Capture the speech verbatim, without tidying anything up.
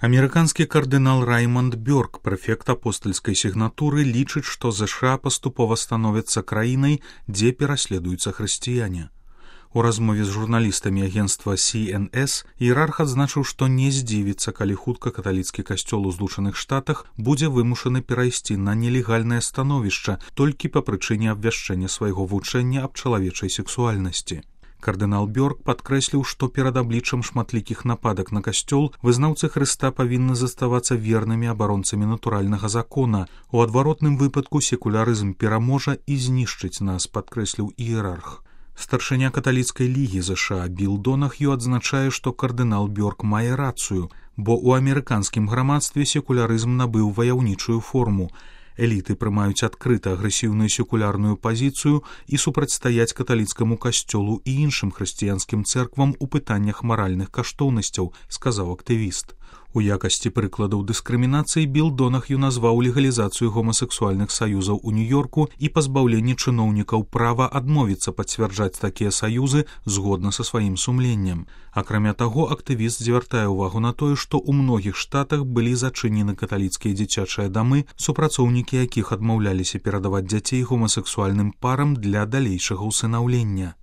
Амерыканскі кардынал Раймонд Бёрк, прэфект апостальскай сігнатуры, лічыць, што ЗША паступова становяцца краінай, дзе пераследуюцца хрысціяне. У размове з журналістамі агенцтва Си Эн Эс іерарх адзначыў, што не здзівіцца, калі хутка каталіцкі касцёл у Злучаных Штатах будзе вымушаны перайсці на нелегальнае становішча толькі па прычыне абвяшчэння свайго вучэння аб чалавечай сексуальнасці. Кардынал Бёрк падкрэсліў, што перад абліччам шматлікіх нападак на касцёл вызнаўцы Хрыста павінны заставацца вернымі абаронцамі натуральнага закона. У адваротным выпадку секулярызм пераможа і знішчыць нас, падкрэсліў іерарх. Старшыня каталіцкай лігі ЗША Біл Донах'ю адзначае, што кардынал Бёрк мае рацыю, бо ў амерыканскім грамадстве секулярызм набыў ваяўнічую форму. Эліты прымаюць адкрыта агрэсіўную секулярную пазіцыю і супрацьстаяць каталіцкаму касцёлу і іншым хрысціянскім цэрквам у пытаннях маральных каштоўнасцяў, сказаў актывіст. У якасці прыкладаў дыскрымінацыі Біл Донах'ю назваў легалізацыю гомасексуальных саюзаў у Нью-Йорку і пазбаўленне чыноўнікаў права адмовіцца пацвярджаць такія саюзы згодна са сваім сумленнем. Акрамя таго, актывіст звяртае ўвагу на тое, што ў многіх штатах былі зачынены каталіцкія дзіцячыя дамы, супрацоўнікі якіх адмаўляліся перадаваць дзяцей гомасексуальным парам для далейшага ўсынаўлення.